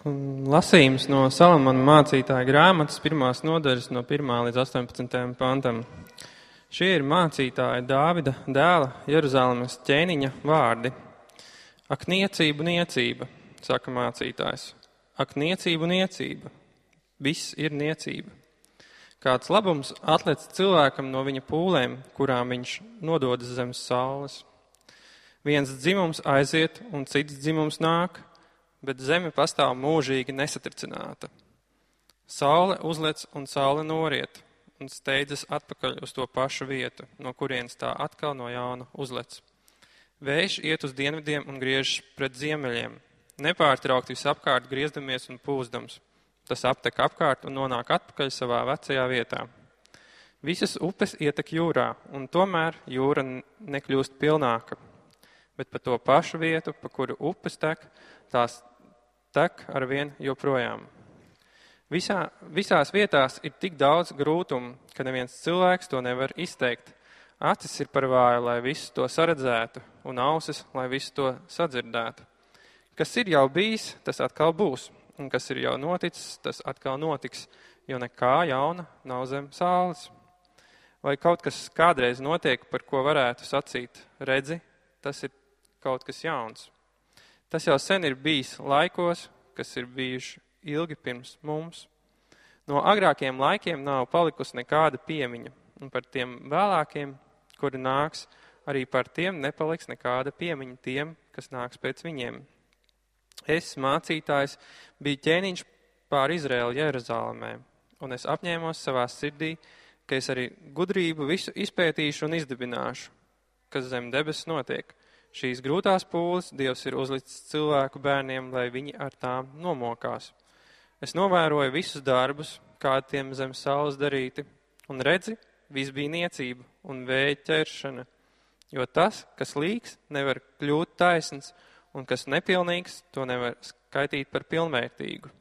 Lasījums no Salamana mācītāja grāmatas 1. nodaļas no 1. līdz 18. pantam. Šie ir mācītāja Dāvida dēla Jeruzalemes ķēniņa vārdi. Ak, niecība, niecība, saka mācītājs. Ak, niecība, niecība, viss ir niecība. Kāds labums atlec cilvēkam no viņa pūlēm, kurām viņš nododas zem saules. Viens dzimums aiziet un cits dzimums nāk, bet zeme pastāv mūžīgi nesatricināta. Saule uzlec un saule noriet un steidzas atpakaļ uz to pašu vietu, no kurienes tā atkal no jauna uzlec. Vējš iet uz dienvidiem un griežas pret ziemeļiem, nepārtraukti visapkārt griezdamies un pūzdams. Tas aptek apkārt un nonāk atpakaļ savā vecajā vietā. Visas upes ietek jūrā, un tomēr jūra nekļūst pilnāka. Bet pa to pašu vietu, pa kuru upes tek, tās tek arvien joprojām. Visās vietās ir tik daudz grūtumu, ka neviens cilvēks to nevar izteikt. Acis ir par vāju, lai visu to saredzētu, un ausis, lai visu to sadzirdētu. Kas ir jau bijis, tas atkal būs, un kas ir jau noticis, tas atkal notiks, jo nekā jauna nav zem saules. Vai kaut kas kādreiz notiek, par ko varētu sacīt, redzi, tas ir kaut kas jauns. Tas jau sen ir bijis laikos, kas ir bijuši ilgi pirms mums. No agrākiem laikiem nav palikusi nekāda piemiņa, un par tiem vēlākiem, kuri nāks, arī par tiem nepaliks nekāda piemiņa tiem, kas nāks pēc viņiem. Es, mācītājs, biju ķēniņš pār Izraēlu Jeruzalemē, un es apņēmos savā sirdī, ka es arī gudrību visu izpētīšu un izdibināšu, kas zem debesis notiek. Šīs grūtās pūles Dievs ir uzlicis cilvēku bērniem, lai viņi ar tām nomokās. Es novēroju visus darbus, kādi tiem zem saules darīti, un redzi, viss bija niecība un vēja ķeršana, jo tas, kas līks, nevar kļūt taisns, un kas nepilnīgs, to nevar skaitīt par pilnvērtīgu.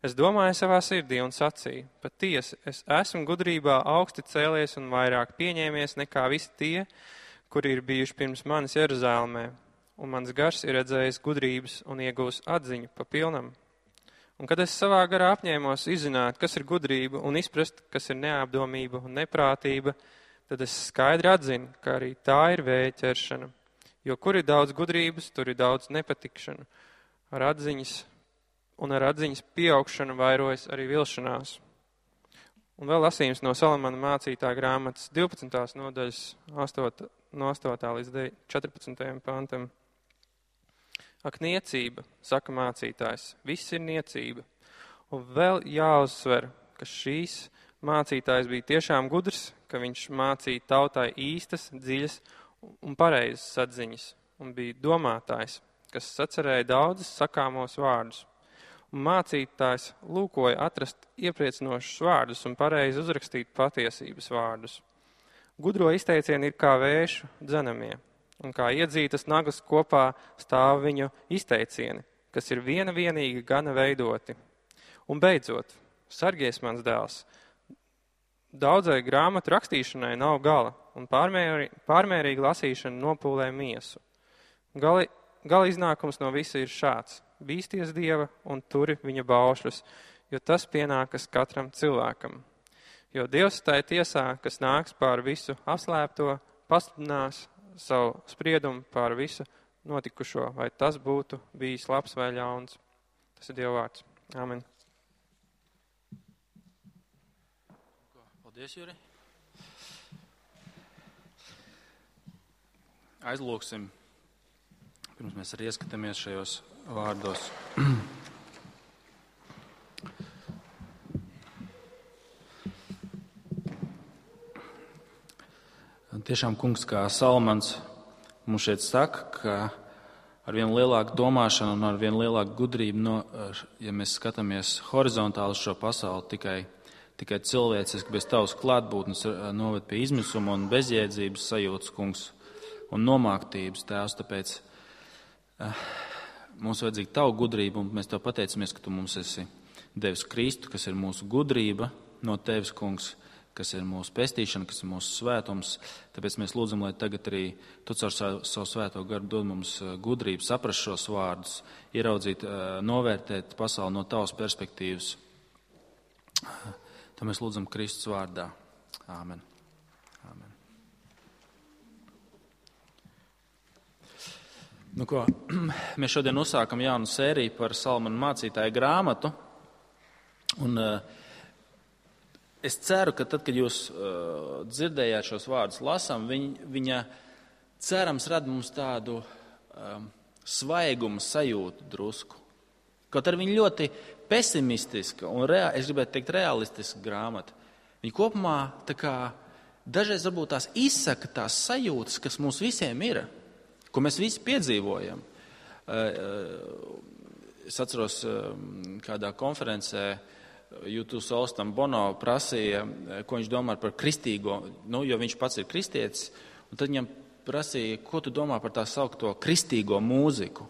Es domāju savā sirdī un sacīju, patiesi, es esmu gudrībā augsti cēlies un vairāk pieņēmies nekā visi tie, kuri ir bijuši pirms manis Jeruzalemē, un mans gars ir redzējis gudrības un iegūs atziņu pa pilnam. Un kad es savā garā apņēmos izzināt, kas ir gudrība un izprast, kas ir neapdomība un neprātība, tad es skaidri atzinu, ka arī tā ir vēja ķeršana. Jo kur ir daudz gudrības, tur ir daudz nepatikšanu. Ar atziņas pieaugšanu vairojas arī vilšanās. Un vēl lasījums no Salamana mācītāja grāmatas 12. nodaļas no 8. līdz 14. pantam. Ak, niecība, saka mācītājs, viss ir niecība. Un vēl jāuzsver, ka šīs mācītājs bija tiešām gudrs, ka viņš mācīja tautai īstas, dziļas un pareizas atziņas, un bija domātājs, kas sacerēja daudzas sakāmos vārdus. Un mācītājs lūkoja atrast iepriecinošus vārdus un pareizi uzrakstīt patiesības vārdus. Gudro izteicieni ir kā vēšu dzenamie, un kā iedzītas naglas kopā stāv viņu izteicieni, kas ir vienīgi gana veidoti. Un beidzot, sargies mans dēls, daudzai grāmatu rakstīšanai nav gala, un pārmērīga lasīšana nopūlē miesu. Gala iznākums no visa ir šāds: bīsties Dieva un turi viņa baušļus, jo tas pienākas katram cilvēkam. Jo Dievs tai tiesā, kas nāks pār visu apslēpto, pasludinās savu spriedumu pār visu notikušo, vai tas būtu bijis labs vai ļauns. Tas ir Dieva vārds. Amen. Paldies, Juri. Aizlūksim, pirms mēs arī ieskatāmies šajos vārdos. Tiešām, kungs, kā Salamans mums šeit saka, ka ar vien lielāku domāšanu un ar vien lielāku gudrību, ja mēs skatāmies horizontāli uz šo pasauli, tikai cilvēciski bez tavas klātbūtnes noved pie izmisuma un bezjēdzības sajūtas, kungs, un nomāktības, tēvs, tāpēc mums vajadzīga tavu gudrību, un mēs tev pateicamies, ka tu mums esi devis Kristu, kas ir mūsu gudrība no tevis, kungs, kas ir mūsu pestīšana, kas ir mūsu svētums. Tāpēc mēs lūdzam, lai tagad arī Tu caur savu svēto garu dod mums gudrību, saprast šos vārdus, ieraudzīt, novērtēt pasauli no Tavas perspektīvas. Tā mēs lūdzam Kristus vārdā. Āmen. Āmen. Nu ko, mēs šodien uzsākam jaunu sēriju par Salamana mācītāja grāmatu. Un es ceru, ka tad, kad jūs dzirdējāt šos vārdus lasām, viņa cerams rada mums tādu svaigumu sajūtu drusku. Kaut arī viņa ļoti pesimistiska un, es gribētu teikt, realistiska grāmata. Viņa kopumā tā kā dažreiz varbūt tās izsaka tās sajūtas, kas mums visiem ir, ko mēs visi piedzīvojam. Es atceros, kādā konferencē YouTube Olstam Bono prasīja, ko viņš domā par kristīgo, jo viņš pats ir kristietis, un tad viņam prasīja, ko tu domā par tā saukto kristīgo mūziku.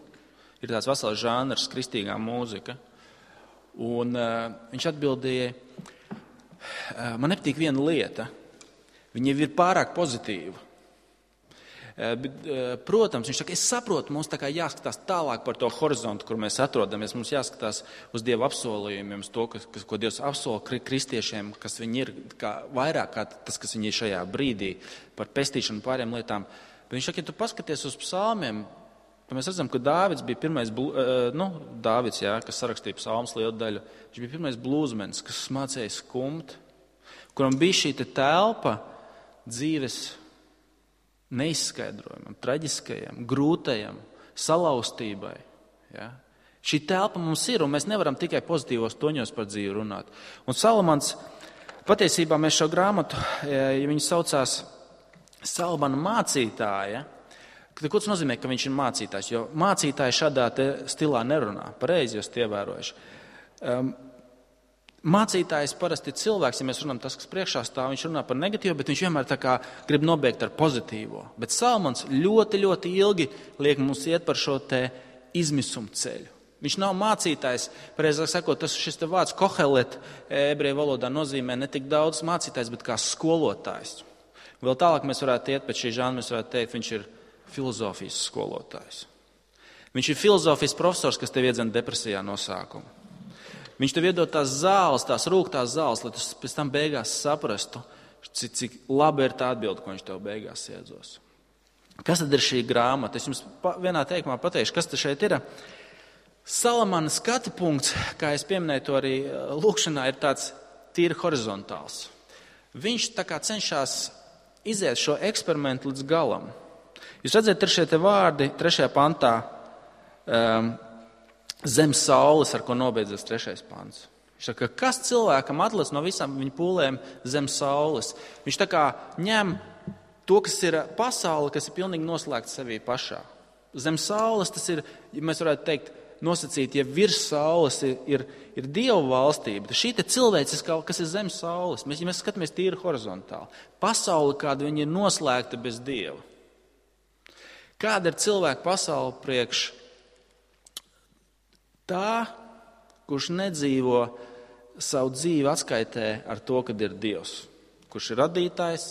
Ir tāds vesels žanrs, kristīgā mūzika. Un viņš atbildēja, man nepatīk viena lieta, viņa ir pārāk pozitīva. Protams, viņš saka, es saprotu, mums tā kā jāskatās tālāk par to horizontu, kur mēs atrodamies. Mums jāskatās uz Dieva apsolījumiem, uz to, ko Dievs apsola kristiešiem, kas viņi ir, vairāk kā tas, kas viņi ir šajā brīdī, par pestīšanu pārējām lietām. Bet viņš saka, ja tu paskaties uz psalmiem, tad mēs redzam, ka Dāvids bija pirmais, kas sarakstīja psalmus lielu daļu, viņš bija pirmais blūzmenis, kas mācīja skumt, kuram bija šī telpa dzīves neizskaidrojumam, traģiskajam, grūtajam, salauztībai. Ja? Šī telpa mums ir, un mēs nevaram tikai pozitīvos toņos par dzīvi runāt. Un Salamans, patiesībā mēs šo grāmatu, ja viņu saucās Salamana mācītāja, ko tas nozīmē, ka viņš ir mācītājs? Jo mācītāji šādā stilā nerunā. Pareizi jūs ievērojuši. Mācītājs parasti ir cilvēks, ja mēs runājam tas, kas priekšā stāv, viņš runā par negatīvu, bet viņš vienmēr tā kā grib nobeigt ar pozitīvo. Bet Salamans ļoti, ļoti ilgi liek mums iet par šo te izmisumu ceļu. Viņš nav mācītājs, pareizāk sakot, šis te vārds kohelet ebreju valodā nozīmē ne tik daudz mācītājs, bet kā skolotājs. Vēl tālāk mēs varētu iet pēc šī žanra, mēs varētu teikt, viņš ir filozofijas skolotājs. Viņš ir filozofijas profesors, kas tev iedzen depresijā no sākuma. Viņš tev iedod tās zāles, tās rūgtās zāles, lai tu pēc tam beigās saprastu, cik labi ir tā atbilde, ko viņš tev beigās iedzos. Kas tad ir šī grāmata? Es jums vienā teikumā pateikšu, kas te šeit ir. Salamana skatu punkts, kā es pieminēju to arī lūkšanā, ir tāds tīri horizontāls. Viņš tā kā cenšas iziet šo eksperimentu līdz galam. Jūs redzat, ir šie te vārdi 3. pantā, zem saules, ar ko nobeidzas 3. pants. Viņš saka, kas cilvēkam atliec no visām viņa pūlēm zem saules? Viņš tā kā ņem to, kas ir pasaule, kas ir pilnīgi noslēgta sevī pašā. Zem saules tas ir, ja mēs varētu teikt, nosacīt, ja virs saules ir Dieva valstība, tad šī te cilvēciskā, kas ir zem saules, ja mēs skatāmies tīri horizontāli, pasaule, kāda viņa ir noslēgta bez Dieva. Kāda ir cilvēka pasaule priekš tā, kurš nedzīvo savu dzīvi atskaitē ar to, kad ir Dievs, kurš ir radītājs,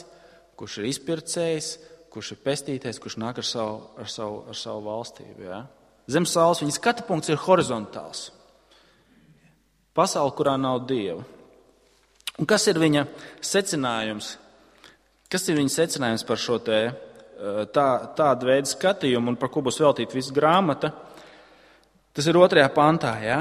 kurš ir izpircējs, kurš ir pestītais, kurš nāk ar savu valstību. Ja? Zem saules viņa skatu punkts ir horizontāls. Pasaule, kurā nav Dieva. Un kas ir viņa secinājums? Kas ir viņa secinājums par šo tādu veidu skatījumu un par ko būs veltīta visa grāmata? Tas ir 2. pantā, ja?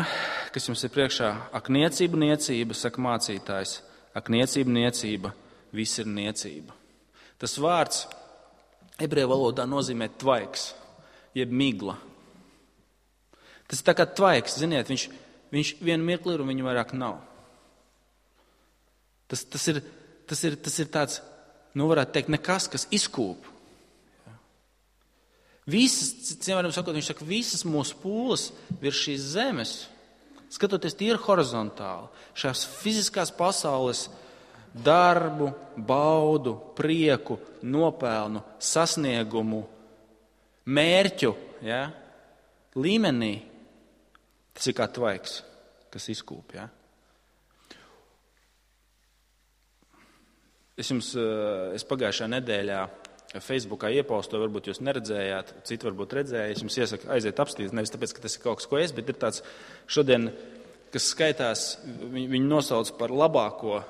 Kas jums ir priekšā. Ak, niecība, niecība, saka mācītājs. Ak, niecība, niecība, viss ir niecība. Tas vārds ebreju valodā nozīmē tvaiks, jeb migla. Tas ir tā kā tvaiks, ziniet, viņš vienu mirkli ir un viņu vairāk nav. Tas ir tāds, varētu teikt, nekas, kas izkūp. Viņš saka, visas mūsu pūles virs šīs zemes, skatoties tīri horizontāli, šās fiziskās pasaules darbu, baudu, prieku, nopelnu, sasniegumu, mērķu, ja, līmenī, tas ir kā tvaiks, kas izkūp. Ja. Es pagājušajā nedēļā Facebookā iepostoju, varbūt jūs neredzējāt, citi varbūt redzēja. Es jums iesaku aiziet apskatīt, nevis tāpēc, ka tas ir kaut kas, ko es, bet ir tāds šodien, kas skaitās, viņu nosauc par labāko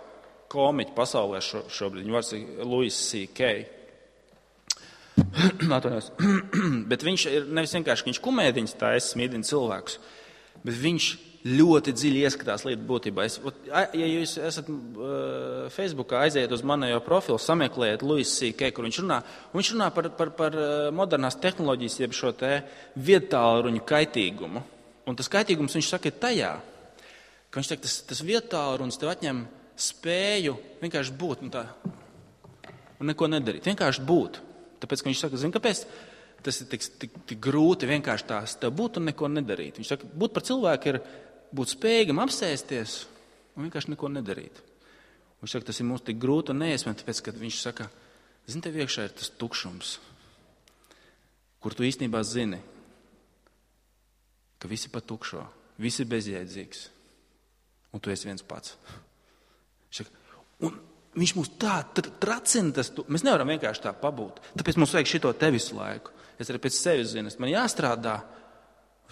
komiķu pasaulē šobrīd. Viņu vārds ir Louis C.K. Bet viņš ir nevis vienkārši, viņš kumēdiņas taisa, smīdina cilvēkus, bet viņš ļoti dziļi ieskatās lietu būtībā. Ja jūs esat Facebookā, aiziet uz manējo profilu, sameklējiet Louis C.K., kur viņš runā par modernās tehnoloģijas, jeb šo te viedtālruņu kaitīgumu. Un tas kaitīgums, viņš saka, ir tajā, ka viņš saka, tas viedtālrunis tev atņem spēju vienkārši būt un neko nedarīt. Vienkārši būt. Tāpēc, ka viņš saka, zini, kāpēc tas ir tik grūti vienkārši tās tev būt un neko nedarīt. Viņš saka, būt par cilvēku ir būt spējīgam apsēsties un vienkārši neko nedarīt. Viņš saka, tas ir mums tik grūti un neiespējami, tāpēc, ka viņš saka, zini, tev iekšā ir tas tukšums, kur tu īstenībā zini, ka visi pa tukšo, visi bezjēdzīgs, un tu esi viens pats. Un viņš mums tā tracina, mēs nevaram vienkārši tā pabūt. Tāpēc mums vajag šito te visu laiku. Es arī pēc sevis zinu, man jāstrādā.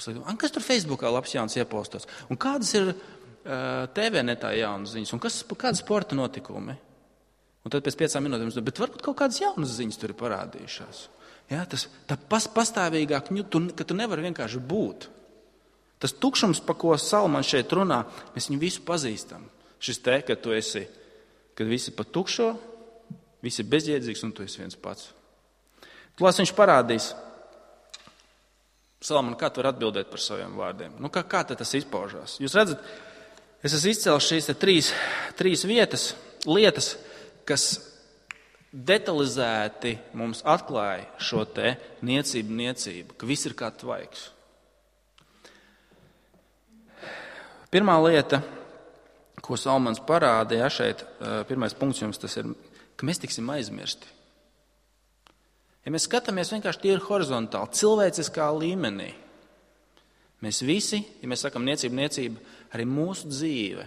Kas tur Facebookā labs jauns iepostos? Un kādas ir TV netā jaunas ziņas? Un kāda sporta notikumi? Un tad pēc 5 minūtēm, bet varbūt kaut kādas jaunas ziņas tur ir parādījušās. Ja, tā pastāvīgāk, ka tu nevari vienkārši būt. Tas tukšums, pa ko Salmans šeit runā, mēs viņu visu pazīstam. Šis te, kad tu esi, kad visi pa tukšo, visi bezjēdzīgs un tu esi viens pats. Tūlēs viņš parādīs. Salman, kā tu vari atbildēt par saviem vārdiem? Kā tas izpaužās? Jūs redzat, es esmu izcēlis šīs trīs lietas, kas detalizēti mums atklāja šo te niecību, ka viss ir kā tvaiks. Pirmā lieta, ko Salmans parādīja šeit, pirmais punkts jums tas ir, ka mēs tiksim aizmirsti. Ja mēs skatāmies vienkārši tīri horizontāli, cilvēciskā līmenī, mēs visi, ja mēs sakam niecība, arī mūsu dzīve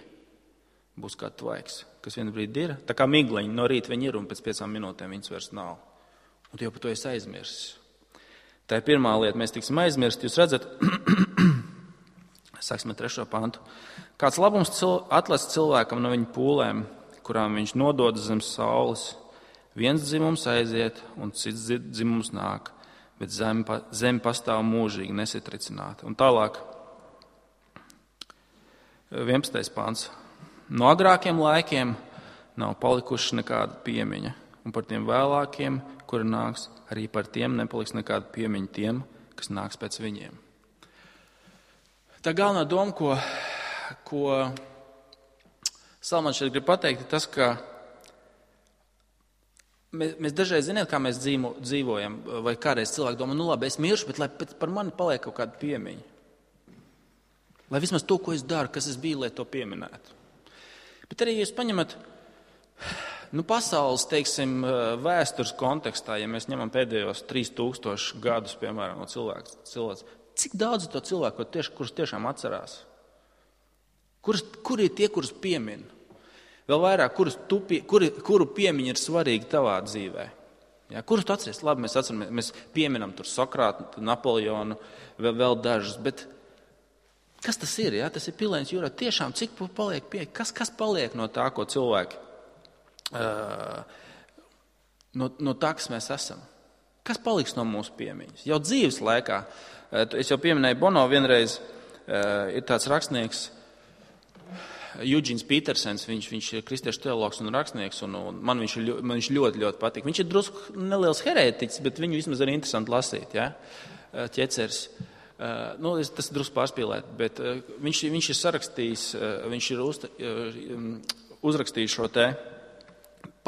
būs kā tvaiks, kas vienu brīdi ir. Tā kā migleņi, no rīta viņi ir un pēc 5 minūtēm viņas vairs nav. Un tu jau par to esi aizmirsis. Tā ir pirmā lieta, mēs tiksim aizmirsti. Jūs redzat, sāksim ar 3. pantu. Kāds labums atlast cilvēkam no viņa pūlēm, kurām viņš nodod zem saules. Viens dzimums aiziet, un cits dzimums nāk, bet zeme pastāv mūžīgi nesatricināta. Un tālāk, 11. pants. No agrākiem laikiem nav palikuši nekāda piemiņa, un par tiem vēlākiem, kuri nāks, arī par tiem nepaliks nekāda piemiņa tiem, kas nāks pēc viņiem. Tā galvenā doma, ko Salmans šeit grib pateikt, ir tas, ka mēs dažreiz zinām, kā mēs dzīvojam, vai kādreiz cilvēki domā, labi, es miršu, bet lai par mani paliek kaut kāda piemiņa. Lai vismaz to, ko es daru, kas es biju, lai to pieminētu. Bet arī, ja jūs paņemat pasaules, teiksim, vēstures kontekstā, ja mēs ņemam pēdējos 3000 gadus, piemēram, no cilvēks, cik daudz to cilvēku, kurus tiešām atcerās? Kur ir tie, kurus piemin? Vēl vairāk, kuru piemiņa ir svarīga tavā dzīvē? Ja, kurus tu atceries? Labi, mēs pieminam tur Sokrātu, Napoleonu, vēl dažus, bet kas tas ir? Ja? Tas ir pilēns jūrā. Tiešām, cik paliek kas paliek no tā, ko cilvēki, no tā, kas mēs esam? Kas paliks no mūsu piemiņas? Jau dzīves laikā, es jau pieminēju Bono vienreiz, ir tāds rakstnieks, Eugēns Petersens, viņš ir kristiešu teologs un rakstnieks, un man viņš ļoti, ļoti patīk. Viņš ir drusku neliels herētiķis, bet viņu vismaz arī interesanti lasīt, ja? Ķeceris. Tas ir drusku pārspīlēt, bet viņš ir sarakstījis, viņš ir uzrakstījis šo te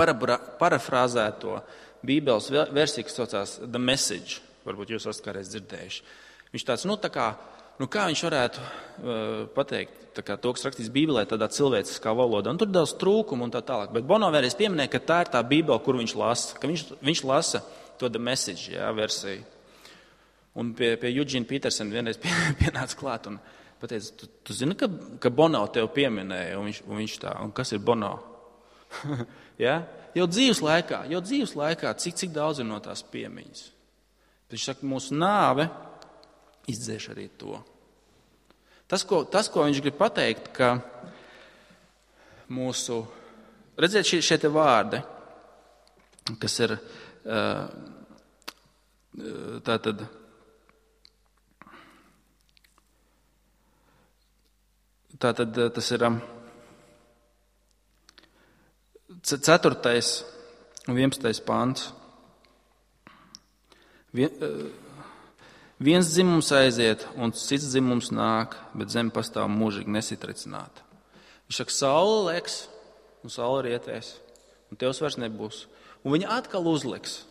parafrāzēto Bībeles versiju, kas saucās The Message. Varbūt jūs esat kādreiz dzirdējuši. Viņš tāds, kā viņš varētu pateikt, tā kā to, kas rakstīs Bībelē, tādā cilvēciskā valodā. Un tur daudz trūkumu un tā tālāk. Bet Bono vēlreiz pieminēja, ka tā ir tā Bībele, kur viņš lasa. Ka viņš lasa to The Message, versiju. Un pie Eugēna Petersena vienreiz pienāca klāt un pateica, tu zini, ka Bono tev pieminēja? Un viņš tā, un kas ir Bono? Ja? Jau dzīves laikā, cik daudz ir no tās piemiņas. Viņš saka, mūsu nāve izdzēš arī to. Tas, ko viņš grib pateikt, ka mūsu, redziet, šie te vārdi, kas ir tātad tas ir 4. un 11. pants. Viens dzimums aiziet, un cits dzimums nāk, bet zeme pastāv mūžīgi nesitricināta. Viņš saka, saule leks, un saule rietēs, un tevs vairs nebūs. Un viņa atkal uzliks,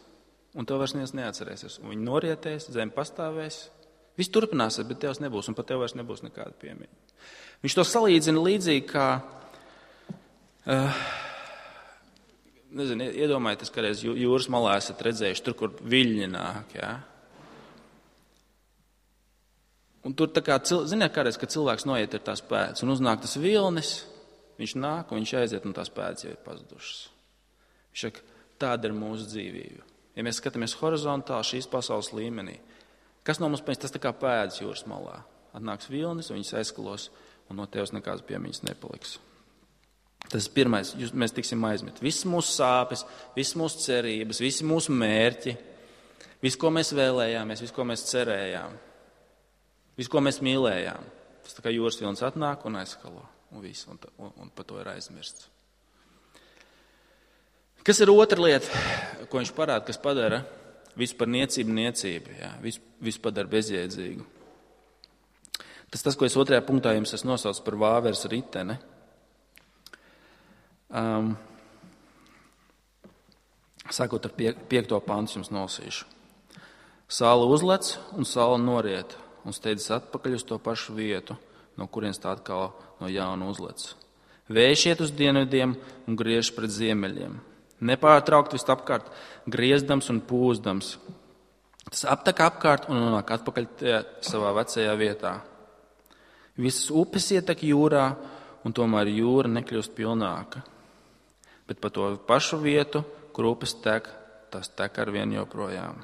un tev vairs neviens neatcerēsies. Un viņa norietēs, zeme pastāvēs, viss turpināsies, bet tevs nebūs, un pat tev vairs nebūs nekāda piemiņa. Viņš to salīdzina līdzīgi kā, iedomājieties, kādreiz jūras malā esat redzējuši, tur, kur viļņi nāk, jā. Un tur tā kā, ziniet, kādreiz, kad cilvēks noiet ir tās pēdas, un uznāk tas vilnis, viņš nāk, un viņš aiziet, un tās pēdas jau ir pazudušas. Viņš saka, tāda ir mūsu dzīvība. Ja mēs skatāmies horizontāli šīs pasaules līmenī, kas no mums pēc tas tā kā pēdas jūras malā? Atnāks vilnis, un viņas aizskalos, un no tevis nekādas piemiņas nepaliks. Tas ir pirmais, mēs tiksim aizmirst. Visas mūsu sāpes, visas mūsu cerības, visi mūsu mērķi, visu, ko mēs vēlējāmies, visu, ko mēs cerējām, visu, ko mēs mīlējām. Tas tā kā jūras vilnis atnāk un aizskalo, un viss, un par to ir aizmirsts. Kas ir otra lieta, ko viņš parāda, kas padara visu par niecību, jā, visu padara bezjēdzīgu? Tas, ko es 2. punktā jums esmu nosaucis par vāveres riteni. Sākot ar 5. pantu jums nolasīšu. Saule uzlec un saule noriet un steidzas atpakaļ uz to pašu vietu, no kurienes tā atkal no jauna uzlec. Vējš iet uz dienvidiem un griež pret ziemeļiem. Nepārtraukt vist apkārt, griezdams un pūzdams. Tas aptek apkārt un nonāk atpakaļ savā vecajā vietā. Visas upes ietek jūrā, un tomēr jūra nekļūst pilnāka. Bet pa to pašu vietu, kur upes tek, tas tek arvien joprojām.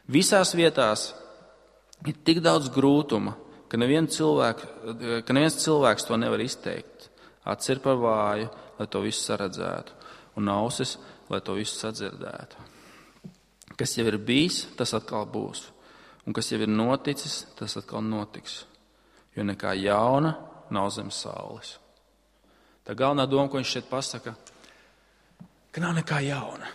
Visās vietās ir tik daudz grūtuma, ka neviens cilvēks to nevar izteikt. Acis ir par vāju, lai to visu saredzētu, un ausis, lai to visu sadzirdētu. Kas jau ir bijis, tas atkal būs, un kas jau ir noticis, tas atkal notiks. Jo nekā jauna nav zem saules. Tā galvenā doma, ko viņš šeit pasaka, ka nav nekā jauna.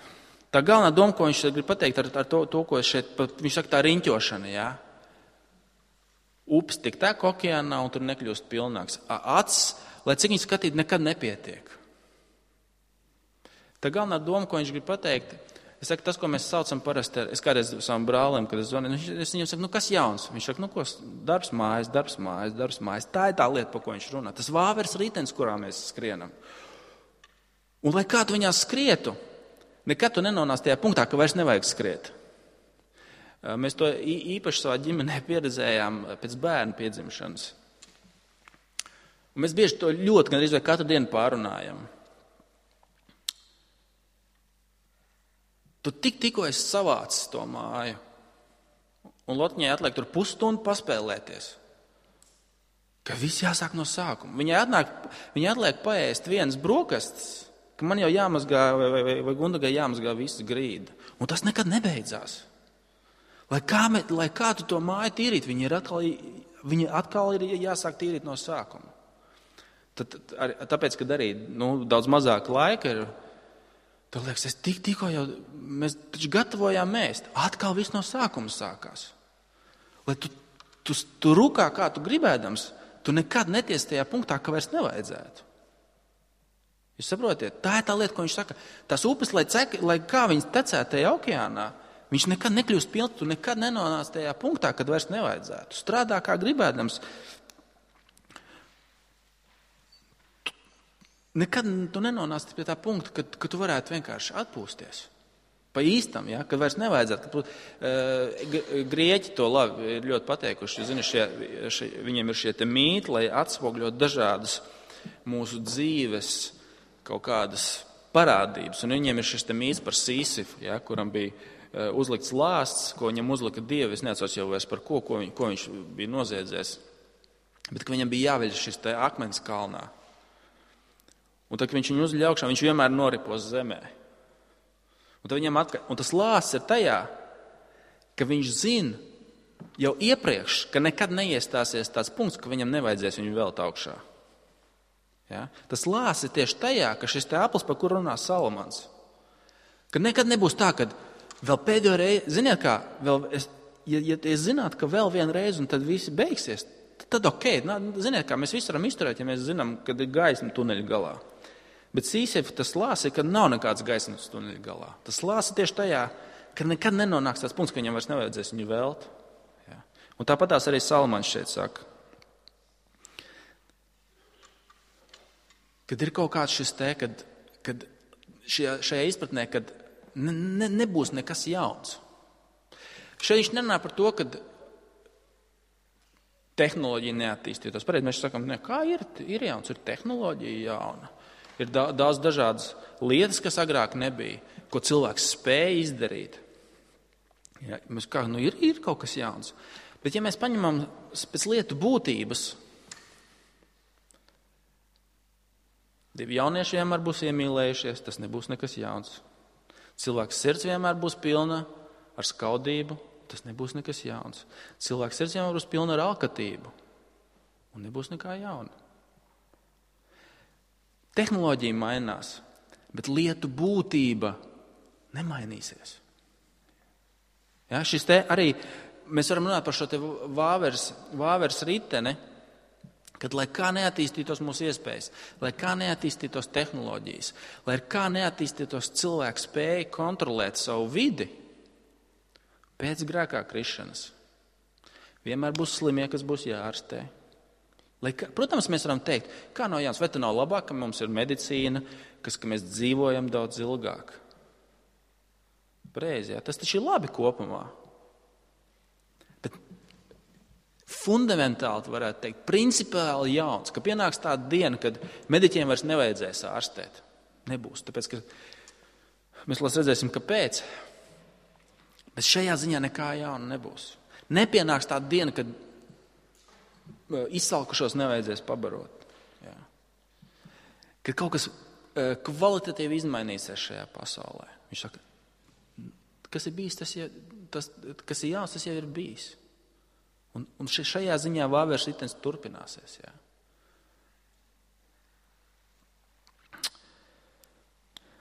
Tā galvenā doma, ko viņš šeit grib pateikt ar to, ko šeit, viņš saka, tā riņķošana, jā. Upes tik tek okeānā un tur nekļūst pilnāks. Acis, lai cik viņš skatīt, nekad nepietiek. Tā galvenā doma, ko viņš grib pateikt, es saku, tas, ko mēs saucam parasti, es kādreiz savam brālim, kad es zvanu, es viņam saku, kas jauns? Viņš saka, ko, darbs mājas. Tā ir tā lieta, par ko viņš runā. Tas vāveres ritenis, kurā mēs skrienam. Un lai kā tu viņā skrietu, nekad tu nenonāc tajā punktā, ka vairs nevajag skriet. Mēs to īpaši savā ģimenē pieredzējām pēc bērnu piedzimšanas. Un mēs bieži to ļoti, gan arī katru dienu pārunājam. Tu tikko esi savācis to māju, un Lotņai atliek tur pusstundu paspēlēties, ka viss jāsāk no sākuma. Viņai atliek paēst vienas brokastis, ka man jau jāmazgā vai Gundagai jāmazgā visas grīda. Un tas nekad nebeidzās. Lai kā tu to māju tīrīt, viņa atkal ir jāsāk tīrīt no sākuma. Tāpēc, kad arī daudz mazāk laika ir, tad liekas, tikko jau mēs taču gatavojām mēst. Atkal viss no sākuma sākās. Lai tu rukā, kā tu gribēdams, tu nekad neties tajā punktā, ka vairs nevajadzētu. Jūs saprotiet? Tā ir tā lieta, ko viņš saka. Tās upes, lai kā viņas tecētu tajā okeānā, viņš nekad nekļūst pilns, tu nekad nenonāc tajā punktā, kad vairs nevajadzētu. Strādā kā gribēdams. Nekad tu nenonāc pie tā punkta, ka tu varētu vienkārši atpūsties. Pa īstam, ja, kad vairs nevajadzētu. Grieķi to labi ir ļoti pateikuši. Zini, viņiem ir šie te mīti, lai atspogļot dažādas mūsu dzīves kaut kādas parādības. Un viņiem ir šis mīts par Sīsifu, ja, kuram bija uzlikts lāsts, ko viņam uzlika Dievi. Es neatceros jau vairs par ko viņš bija noziedzējis. Bet viņam bija jāveļ šis akmens kalnā. Un tad, kad viņš viņu uzļauj augšā, viņš vienmēr noripos zemē. Un tas lāsts ir tajā, ka viņš zina jau iepriekš, ka nekad neiestāsies tāds punkts, ka viņam nevajadzēs viņu velt augšā. Ja? Tas lāsts ir tieši tajā, ka šis aplis, par kuru runā Salomons, ka nekad nebūs tā, ka vēl pēdējo reizi, ziniet kā, ja es zinātu, ka vēl vienu reizi un tad visi beigsies, tad ok, ziniet kā, mēs visi varam izturēt, ja mēs zinām, kad ir gaisma tuneļa galā. Bet Sīsifa tas lāsts ir, ka nav nekāds gaismas tuneļa galā. Tas lāsts ir tieši tajā, ka nekad nenonāks tāds punkts, ka viņam vairs nevajadzēs viņu velt. Ja? Un tāpatās arī Salomons šeit saka, kad ir kaut kāds šis kad šajā izpratnē, kad nebūs nekas jauns. Šeit viņš nerunā par to, ka tehnoloģija neattīstītos. Pareizi mēs sakām, kā ir jauns, ir tehnoloģija jauna. Ir daudz dažādas lietas, kas agrāk nebija, ko cilvēks spēja izdarīt. Ja, ir kaut kas jauns. Bet ja mēs paņemam pēc lietu būtības, divi jaunieši vienmēr būs iemīlējušies, tas nebūs nekas jauns. Cilvēks sirds vienmēr būs pilna ar skaudību, tas nebūs nekas jauns. Cilvēks sirds vienmēr būs pilna ar alkatību, un nebūs nekā jauna. Tehnoloģija mainās, bet lietu būtība nemainīsies. Ja, šis te arī, mēs varam runāt par šo te vāveres riteni, kad lai kā neattīstītos mūsu iespējas, lai kā neattīstītos tehnoloģijas, lai kā neattīstītos cilvēku spēja kontrolēt savu vidi, pēc grēkā krišanas vienmēr būs slimie, kas būs jāārstē. Protams, mēs varam teikt, kā nav jauns, vai tā nav labāk, ka mums ir medicīna, ka mēs dzīvojam daudz ilgāk. Pareizi, jā, tas taču ir labi kopumā. Bet fundamentāli varētu teikt, principiāli jauns, ka pienāks tāda diena, kad mediķiem vairs nevajadzēs ārstēt. Nebūs, tāpēc, ka mēs redzēsim, kāpēc. Bet šajā ziņā nekā jauna nebūs. Nepienāks tāda diena, kad izsalkušos nevajadzēs pabarot. Jā. Kad kaut kas kvalitatīvi izmainīsies šajā pasaulē. Viņš saka, kas ir bijis, kas ir jauns, tas jau ir bijis. Un šajā ziņā vāveres ritens turpināsies. Jā.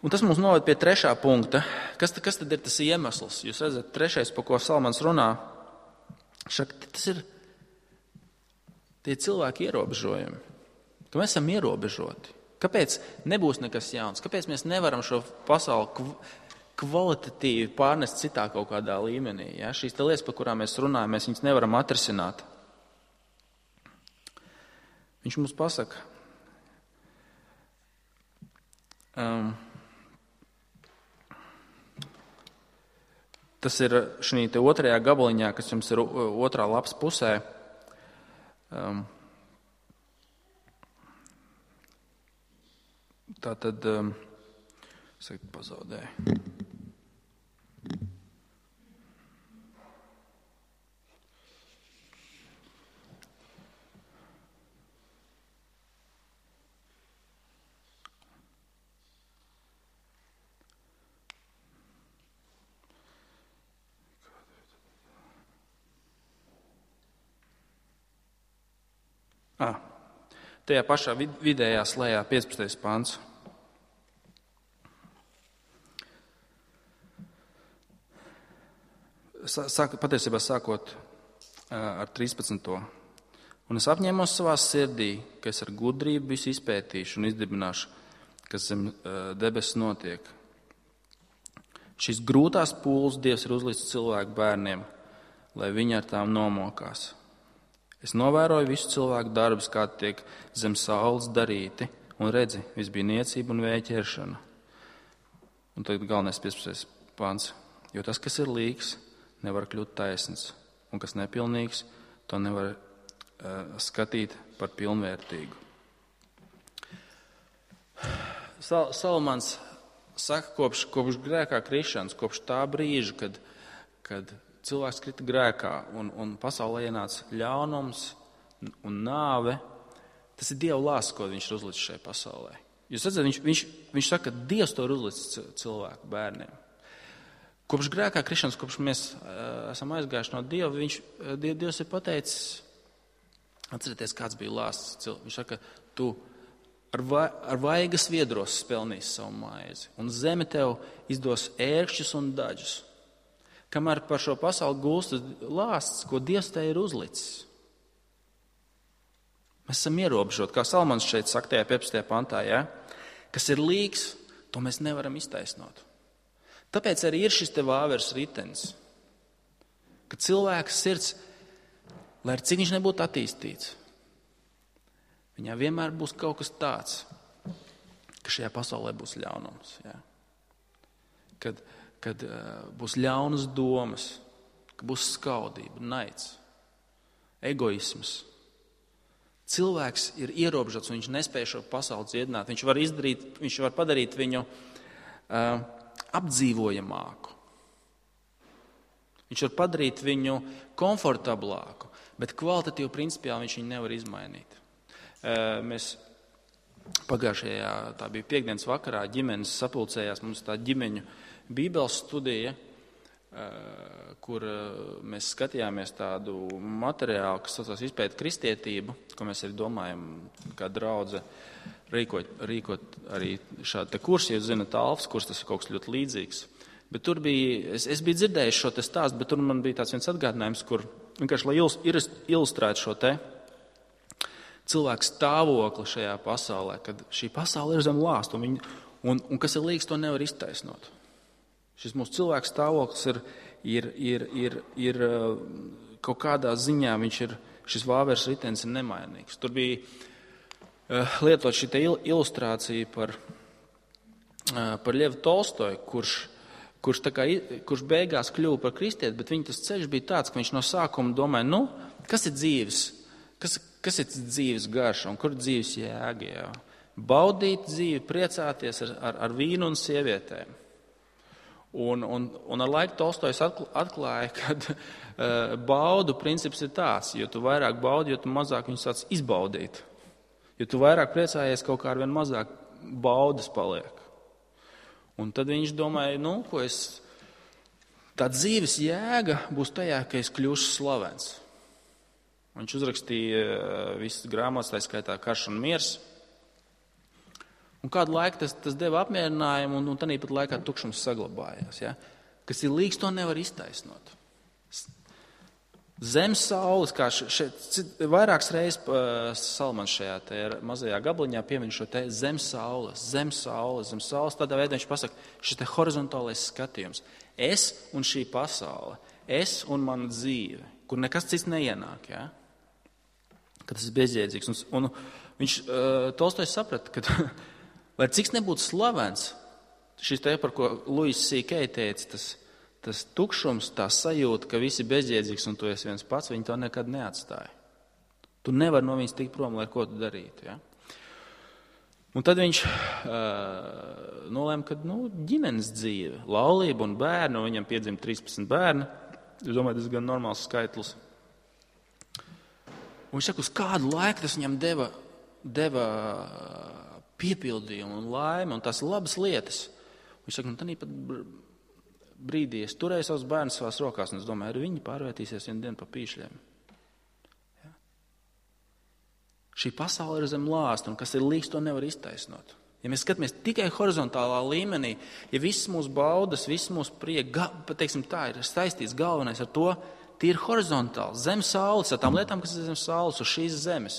Un tas mums noved pie trešā punkta. Kas tad ir tas iemesls? Jūs redzat, trešais, par ko Salomons runā, tas ir tie cilvēki ierobežojumi, ka mēs esam ierobežoti. Kāpēc nebūs nekas jauns? Kāpēc mēs nevaram šo pasauli kvalitatīvi pārnest citā kaut kādā līmenī? Ja? Šīs lietas, par kurām mēs runājam, mēs viņas nevaram atrisināt. Viņš mums pasaka, tas ir šī otrajā gabaliņā, kas jums ir otrā lapas pusē. Tā tad pazaudēju. Tajā pašā vidējā slējā 15. pants. Patiesībā sākot ar 13. Un es apņēmos savā sirdī, ka es ar gudrību visu izpētīšu un izdibināšu, kas zem debesis notiek. Šīs grūtās pūles Dievs ir uzlicis cilvēku bērniem, lai viņi ar tām nomokās. Es novēroju visu cilvēku darbus, kā tiek zem saules darīti, un redzi, viss bija niecība un vēja ķeršana. Un tagad galvenais 15. pants. Jo tas, kas ir līgs, nevar kļūt taisns, un kas nepilnīgs, to nevar skatīt par pilnvērtīgu. Salomons saka, kopš grēkā krišanas, kopš tā brīža, kad cilvēks krita grēkā un pasaulē ienāca ļaunums un nāve, tas ir Dieva lāsts, ko viņš ir uzlicis šai pasaulē. Jūs redzat, viņš saka, ka Dievs to ir uzlicis cilvēku bērniem. Kopš grēkā krišanas, kopš mēs esam aizgājuši no Dieva, Dievs ir pateicis, atcerieties, kāds bija lāsts. Viņš saka, tu ar vaigas viedros spelnīsi savu maizi, un zeme tev izdos ērkšķus un daļus. Kamēr par šo pasauli gulstas lāsts, ko Dievs te ir uzlicis. Mēs esam ierobežoti, kā Salmans šeit saka tajā 15. pantā, ja? Kas ir līgs, to mēs nevaram iztaisnot. Tāpēc arī ir šis te vāveres ritenis, ka cilvēka sirds, lai ar cik viņš nebūtu attīstīts, viņā vienmēr būs kaut kas tāds, ka šajā pasaulē būs ļaunums. Ja? Kad būs ļaunas domas, ka būs skaudība, naids, egoisms. Cilvēks ir ierobežots un viņš nespēj šo pasauli dziedināt. Viņš var padarīt viņu apdzīvojamāku. Viņš var padarīt viņu komfortablāku, bet kvalitatīvi principiāli viņš viņu nevar izmainīt. Mēs pagājušajā, tā bija piekdienas vakarā, ģimenes sapulcējās, mums tā ģimeņu bībeles studija, kur mēs skatījāmies tādu materiālu, kas saucās izpēt kristietību, ko mēs arī domājam, kā draudze rīkot arī šādu te kursu, jūs zināt, Alfas kurs, tas ir kaut kas ļoti līdzīgs. Bet tur bija, es biju dzirdējis šo te stāstu, bet tur man bija tāds viens atgādinājums, kur vienkārši, lai ilustrētu šo te cilvēku stāvokli šajā pasaulē, kad šī pasaule ir zem lāsta, un kas ir līdz, to nevar iztaisnot. Šis mūsu cilvēku stāvoklis ir kaut kādā ziņā, šis vāveres ritenis ir nemainīgs. Tur bija lietot šī ilustrācija par Ļevu Tolstoju, kurš beigās kļuva par kristieti, bet viņa tas ceļš bija tāds, ka viņš no sākuma domāja, kas ir dzīves, kas ir dzīves garša un kur ir dzīves jēga. Jā? Baudīt dzīvi, priecāties ar vīnu un sievietēm. Un ar laiku Tolstojs atklāja, ka baudu princips ir tāds, jo tu vairāk baudi, jo tu mazāk viņus sāc izbaudīt. Jo tu vairāk priecājies, kaut kā ar vien mazāk baudas paliek. Un tad viņš domāja, tā dzīves jēga būs tajā, ka es kļūšu slavens. Viņš uzrakstīja visas grāmatas, tā skaitā Karš un miers. Un kādu laiku tas deva apmierinājumu, un tādā pat laikā tukšums saglabājās. Ja? Kas ir līdz, to nevar iztaisnot. Zem saules, kā šeit vairākas reizes Salmans šajā mazajā gabliņā piemin šo te zem saules. Tādā veidā viņš pasaka, šis te horizontālais skatījums. Es un šī pasaule, es un mana dzīve, kur nekas cits neienāk. Ja? Ka tas ir bezjēdzīgs. Un viņš Tolstojs saprata, ka lai cik nebūtu slavens, šis te, par ko Luis C.K. teica, tas tukšums, tā sajūta, ka visi bezjēdzīgs un tu esi viens pats, viņi to nekad neatstāja. Tu nevari no viņas tikt prom, lai ko tu darītu. Ja? Un tad viņš nolēma, ka ģimenes dzīve, laulība un bērni, un viņam piedzima 13 bērni, es domāju, tas ir gan normāls skaitlis. Un viņš saka, uz kādu laiku tas viņam deva piepildījumu un laimi un tās labas lietas. Viņš saka, tad pat brīdī es turēju savus bērnus savās rokās, un es domāju, arī viņi pārvērtīsies vienu dienu pa pīšļiem. Ja? Šī pasaule ir zem lāsta, un kas ir līdz, to nevar iztaisnot. Ja mēs skatāmies tikai horizontālā līmenī, ja visas mūsu baudas, visas mūsu prieka, teiksim tā, ir saistīts galvenais ar to, tie ir horizontāli, zem saules, ar tām lietām, kas ir zem saules, uz šīs zemes.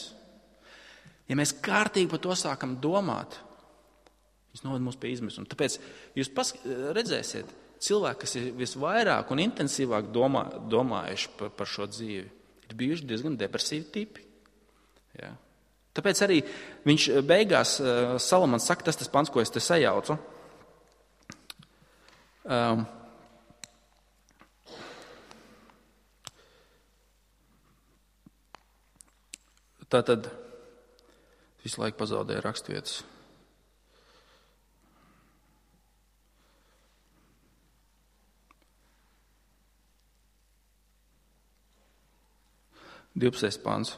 Ja mēs kārtīgi par to sākam domāt, viņš noved mūs pie izmisuma. Tāpēc jūs redzēsiet, cilvēki, kas ir visvairāk un intensīvāk domājuši par šo dzīvi, ir bijuši diezgan depresīvi tipi. Ja? Tāpēc arī viņš beigās, Salamans saka, tas pants, ko es te sajaucu. Tātad visu laiku pazaudēja rakstvietas. 12. pants.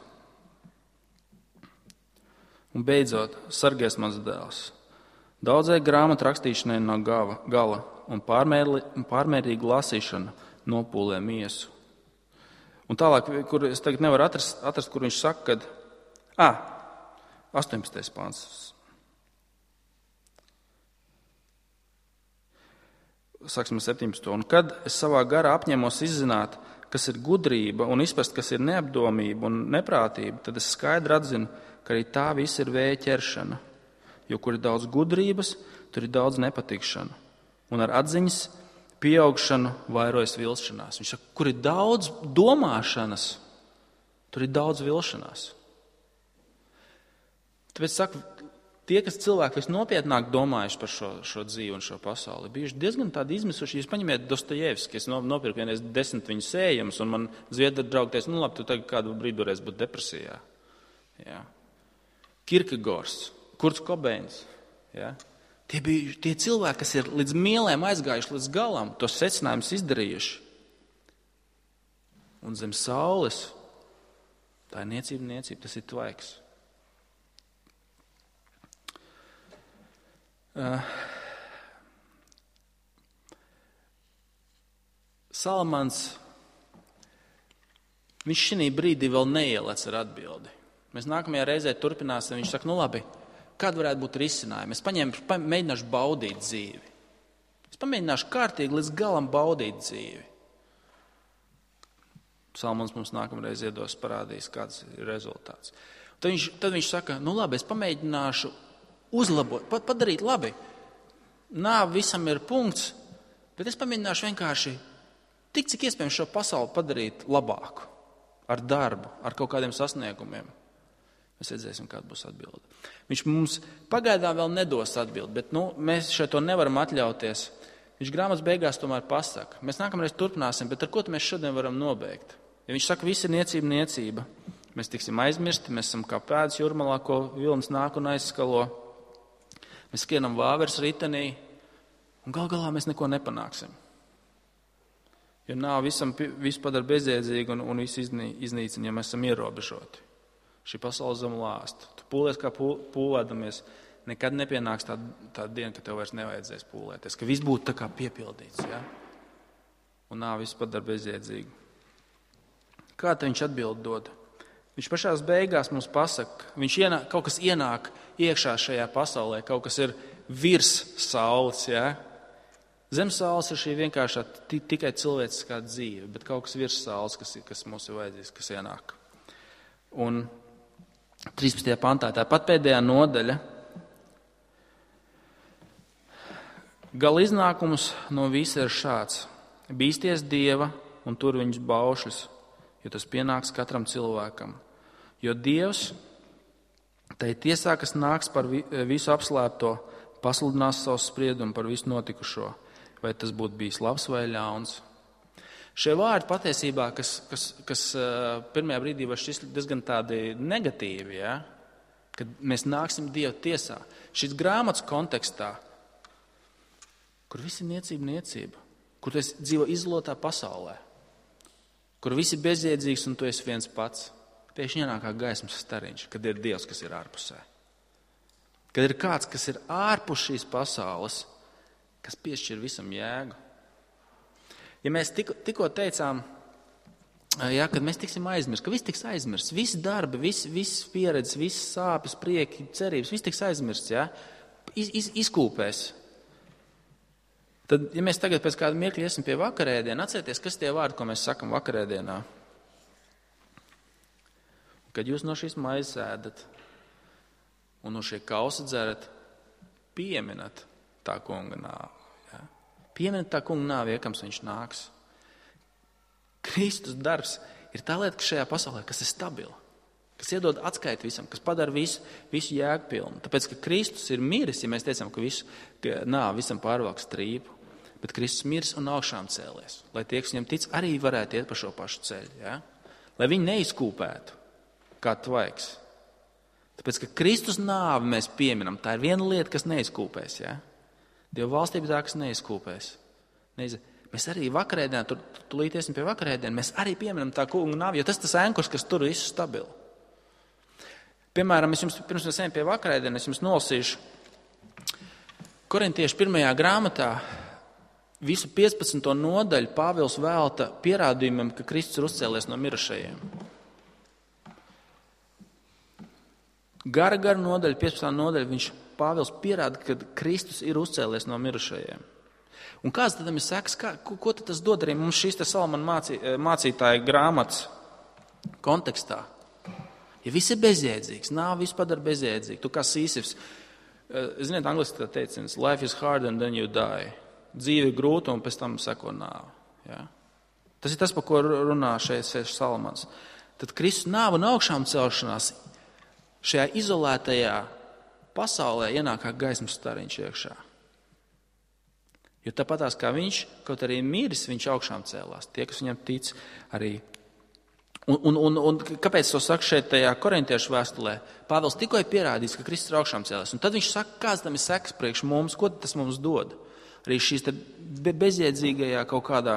Un beidzot, sargies mans dēls. Daudzai grāmatu rakstīšanai no gala un pārmērīga lasīšana nopūlē miesu. Un tālāk, kur es tagad nevaru atrast, kur viņš saka, kad 18. pāns. Sāksim 17. Un kad es savā garā apņemos izzināt, kas ir gudrība un izprast, kas ir neapdomība un neprātība, tad es skaidri atzinu, ka arī tā viss ir vēja ķeršana. Jo kur ir daudz gudrības, tur ir daudz nepatikšana. Un ar atziņas pieaugšanu vairojas vilšanās. Viņš saka, kur ir daudz domāšanas, tur ir daudz vilšanās. Tāpēc saka, tie, kas cilvēki visnopietnāk domājuši par šo dzīvi un šo pasauli, bijuši diezgan tādi izmisuši. Jūs paņemiet Dostojevski, es nopirku vienreiz 10 viņa sējumus, un man zviedri draugi teica, labi, tu tagad kādu brīdi varēsi būt depresijā. Jā. Kierkegaards, Kurts Kobeins. Jā. Tie bija tie cilvēki, kas ir līdz mielēm aizgājuši līdz galam, tos secinājumus izdarījuši. Un zem saules tā ir niecība, tas ir tvaiks. Salamans, viņš šī brīdī vēl neielec ar atbildi. Mēs nākamajā reizē turpināsim, viņš saka, labi, kāda varētu būt risinājuma? Es mēģināšu baudīt dzīvi. Es pamēģināšu kārtīgi līdz galam baudīt dzīvi. Salamans mums nākamreiz parādīs, kāds ir rezultāts. Tad viņš saka, labi, es pamēģināšu uzlabot, padarīt labi. Nāve visam ir punkts, bet es pamēģināšu vienkārši tik, cik iespējams šo pasauli padarīt labāku. Ar darbu, ar kaut kādiem sasniegumiem. Mēs redzēsim, kāda būs atbilde. Viņš mums pagaidām vēl nedos atbildi, bet mēs šeit to nevaram atļauties. Viņš grāmatas beigās tomēr pasaka. Mēs nākamreiz turpināsim, bet ar ko mēs šodien varam nobeigt? Ja viņš saka, viss ir niecība, mēs tiksim aizmirsti, mēs esam kā pēdas jūrmalā, ko vilnis nāk un aizskalo. Mēs skrienam vāveres ritenī, un gal galā mēs neko nepanāksim. Jo visu padara bezjēdzīgu un visu iznīcina, ja mēs esam ierobežoti. Šī pasaule zem lāsta. Tu pūlies kā pūlēdamies, nekad nepienāks tā diena, ka tev vairs nevajadzēs pūlēties, ka viss būtu tā kā piepildīts. Ja? Un visu padara bezjēdzīgu. Kā tad viņš atbild dod? Viņš pašās beigās mums pasaka, kaut kas ienāk iekšā šajā pasaulē, kaut kas ir virs saules. Ja? Zem saules ir šī vienkāršā tikai cilvēciskā dzīve, bet kaut kas virs saules, kas mums ir vajadzīgs, kas ienāk. Un 13. pantā, tāpat pēdējā nodaļa, gala iznākums no visa ir šāds. Bīsties Dieva un tur viņus baušļus, jo tas pienāks katram cilvēkam. Jo Dievs, tai tiesā, kas nāks par visu apslēpto, pasludinās savu spriedumu par visu notikušo, vai tas būtu bijis labs vai ļauns. Šie vārdi patiesībā, kas pirmajā brīdī var šķist diezgan tādi negatīvi, ja? Kad mēs nāksim Dieva tiesā. Šis grāmatas kontekstā, kur viss ir niecība, kur tu esi dzīvo izolētā pasaulē, kur viss ir bezjēdzīgs un tu esi viens pats. Pēkšņi ienāk kā gaismas stariņš, kad ir Dievs, kas ir ārpusē. Kad ir kāds, kas ir ārpus šīs pasaules, kas piešķir visam jēgu. Ja mēs tikko teicām, kad mēs tiksim aizmirst, ka viss tiks aizmirsts, visi darbi, viss pieredze, visas sāpes, prieki, cerības, viss tiks aizmirsts, ja? Izkūpēs. Tad, ja mēs tagad pēc kāda mirkļa iesim pie vakarēdiena, atcerieties, kas tie vārdi, ko mēs sakam vakarēdienā. Kad jūs no šīs maizes ēdat un no šie kausa dzerat, pieminat tā kunga nāvi. Ja? Pieminat tā kunga nāvi, iekams viņš nāks. Kristus darbs ir tā lieta, kas šajā pasaulē, kas ir stabila, kas iedod atskaiti visam, kas padara visu jēgpilnu. Tāpēc, ka Kristus ir miris, ja mēs teicam, ka nāvi visam pārvalk strīpu, bet Kristus miris un augšām cēlies, lai tie, kas viņam tic, arī varētu iet pa šo pašu ceļu. Ja? Lai viņi neizkūpētu kā tvaiks. Tāpēc, ka Kristus nāvi mēs pieminam, tā ir viena lieta, kas neizkūpēs. Ja? Dieva valstība tā, kas neizkūpēs. mēs arī vakarēdienā, tūlīt iesim pie vakarēdienā, mēs arī pieminam tā kunga nāvi, jo tas ankurs, kas tur visu stabilu. Piemēram, pirms mēs ejam pie vakarēdienas, es jums nolasīšu Korintiešu 1. grāmatā visu 15. nodaļu Pāvils velta pierādījumam, ka Kristus ir uzcēlies no mirušajiem. Gara nodaļa, 15. nodaļa, Pāvils pierāda, ka Kristus ir uzcēlies no mirušajiem. Un kāds tad ir sekas, ko tad tas dod arī mums šīs Salamana mācītāja grāmatas kontekstā? Ja viss ir bezjēdzīgs, nāve viss padara bezjēdzīgu, tu kā Sīsifs, ziniet, angliski tā teiciens, life is hard and then you die. Dzīve ir grūta un pēc tam seko nāve. Ja? Tas ir tas, par ko runā šeit Salamans. Tad Kristus nāve un augšām celšanās šajā izolētajā pasaulē ienāk kā gaismas stariņš iekšā. Jo tāpatās kā viņš, kaut arī miris, viņš augšām cēlās. Tie, kas viņam tic, arī. Un kāpēc to saka šeit tajā korintiešu vēstulē? Pāvils tikko ir pierādījis, ka Kristus ir augšām cēlās. Un tad viņš saka, kāds tam ir sekas priekš mums, ko tas mums dod? Arī šīs bezjēdzīgajā kaut kādā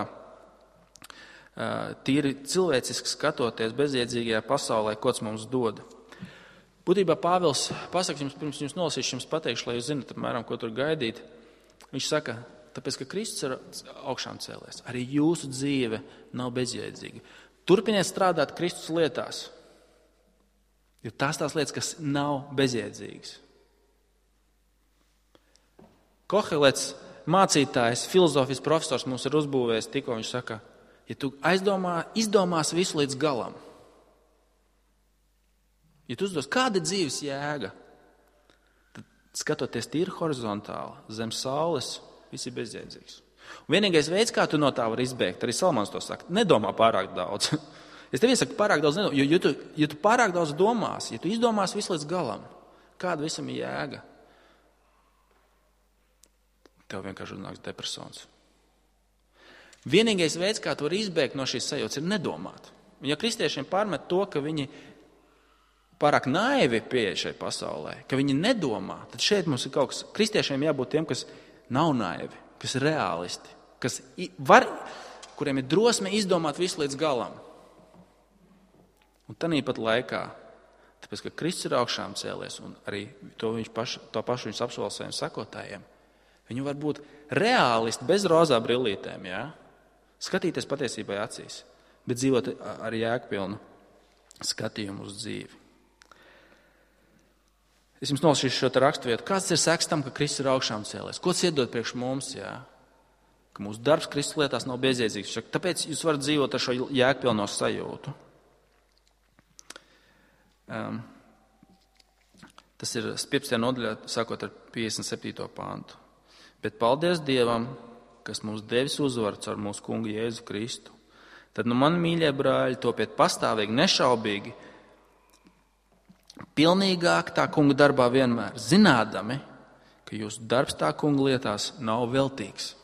tīri cilvēciski skatoties bezjēdzīgajā pasaulē, ko tas mums dod. Būtībā Pāvils pasaka jums, pirms jums nolasīšu, jums pateikšu, lai jūs zinat, apmēram, ko tur gaidīt. Viņš saka, tāpēc, ka Kristus ir augšām cēlies, arī jūsu dzīve nav bezjēdzīga. Turpiniet strādāt Kristus lietās, jo tās lietas, kas nav bezjēdzīgas. Kohelets, mācītājs, filozofijas profesors mums ir uzbūvējis tikko, viņš saka, ja tu izdomās visu līdz galam, ja tu uzdos, kāda ir dzīves jēga, tad skatoties tīri horizontāli, zem saules, viss ir bezjēdzīgs. Un vienīgais veids, kā tu no tā vari izbēgt, arī Salmans to saka, nedomā pārāk daudz. Es tev iesaku pārāk daudz nedomā, jo tu pārāk daudz domās, ja tu izdomās visu līdz galam, kāda visam ir jēga, tev vienkārši uznāks depresons. Vienīgais veids, kā tu vari izbēgt no šīs sajūtas, ir nedomāt. Un ja kristiešiem pārmet to, ka viņi pārāk naivi pieeja šai pasaulē, ka viņi nedomā, tad šeit mums ir kaut kas, kristiešiem jābūt tiem, kas nav naivi, kas ir reālisti, kuriem ir drosme izdomāt visu līdz galam. Un tanīpat laikā, tāpēc, ka Kristus ir augšām cēlies, un arī to pašu viņš apsola saviem sakotājiem, viņi var būt reālisti bez rozā brillītēm, ja? Skatīties patiesībai acīs, bet dzīvot ar jēgpilnu skatījumu uz dzīvi. Es jums nolasīšu šo raksturvietu. Kāds ir sekas tam, ka Kristus ir augšām cēlies? Ko tas iedod priekš mums? Jā? Ka mūsu darbs Kristus lietās nav bezjēdzīgs. Tāpēc jūs varat dzīvot ar šo jēgpilno sajūtu. Tas ir 15. nodaļā, sākot ar 57. pāntu. Bet paldies Dievam, kas mums devis uzvaru caur mūsu kungu Jēzu Kristu. Tad, mani mīļie brāļi, topiet pastāvīgi, nešaubīgi, pilnīgāk tā kunga darbā vienmēr, zinādami, ka jūsu darbs tā kunga lietās nav veltīgs.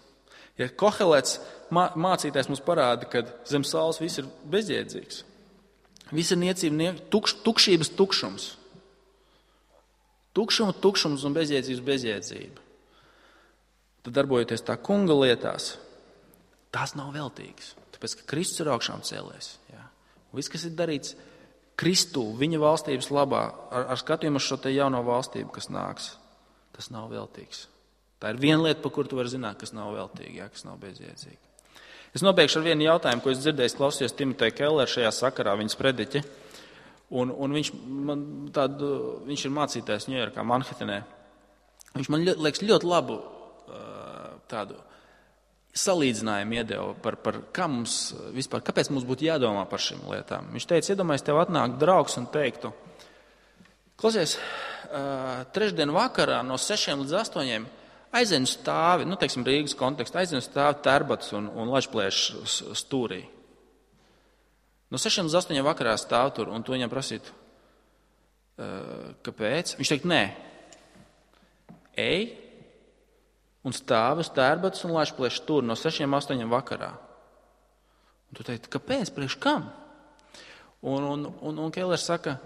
Ja Kohelets mācītājs mums parāda, ka zem saules viss ir bezjēdzīgs, viss ir niecība, tukšības tukšums. Tukšums un bezjēdzība. Tad darbojoties tā kunga lietās, tās nav veltīgas. Tāpēc, ka Kristus ir augšām cēlies. Ja? Viss, kas ir darīts Kristu, viņa valstības labā, ar skatījumu uz šo te jauno valstību, kas nāks, tas nav veltīgs. Tā ir viena lieta, par kuru tu vari zināt, kas nav veltīga, ja, kas nav bezjēdzīga. Es nobeigšu ar vienu jautājumu, ko es dzirdēju, klausījos Timoteja Kellera šajā sakarā, viņas prediķi. Un viņš ir mācītājs Ņujorkā, Manhetenē. Viņš man liekas ļoti labu tādu salīdzinājumu iedeva par kā mums vispār, kāpēc mums būtu jādomā par šīm lietām. Viņš teica, iedomājies, tev atnāk draugs un teiktu, klausies, trešdien vakarā no 6 līdz 8 aizēn uz stāvi, teiksim, Rīgas kontekstā, aizēn uz stāvi Tērbatas un Lačplēša stūrī. No 6 līdz 8 vakarā stāv tur, un tu viņam prasītu, kāpēc? Viņš teikt, nē, ej un stāvi uz Tērbatas un Lačplēša stūri no 6–8 vakarā. Un tu teikt, kāpēc? Priekš kam? Un Kellers saka,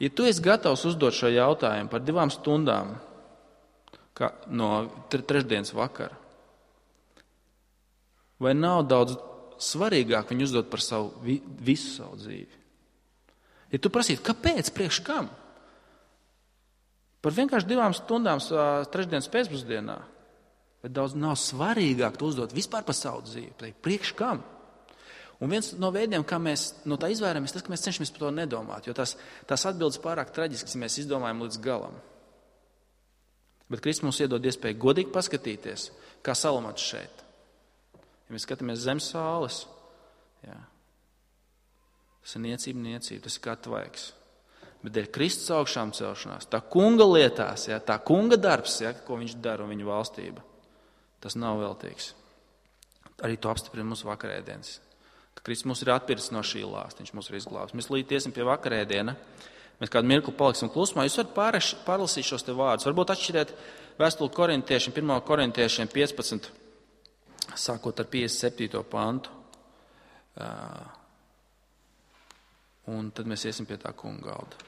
ja tu esi gatavs uzdot šo jautājumu par 2 stundām no trešdienas vakara, Vai nav daudz svarīgāk viņu uzdot par visu savu dzīvi? Ja tu prasītu, kāpēc, priekš kam? Par vienkārši 2 stundām trešdienas pēcpusdienā. Bet daudz nav svarīgāk to uzdot vispār par savu dzīvi. Priekš kam? Un viens no veidiem, kā mēs no tā izvairamies, tas, ka mēs cenšamies par to nedomāt. Jo tās atbildes pārāk traģiskas, ja mēs izdomājam līdz galam. Bet Kristus mums iedod iespēju godīgi paskatīties, kā Salomons šeit. Ja mēs skatāmies zem saules, jā, tas ir niecība, tas ir kā tvaiks. Bet dēļ Kristus augšām celšanās, tā kunga lietās, jā, tā kunga darbs, jā, ko viņš dara un viņa valstība, tas nav veltīgs. Arī to apstiprina mūsu vakarēdienas. Ka Kristus mūs ir atpircis no šī lāsta, viņš mūs ir izglābis. Mēs līdz iesim pie vakarēdiena, mēs kādu mirkli paliksim klusumā. Jūs varat pārlasīt šos te vārdus. Varbūt atšķiriet vēstuli korintiešiem, 1. korintiešiem 15, sākot ar 57. pantu. Un tad mēs iesim pie tā kunga galda.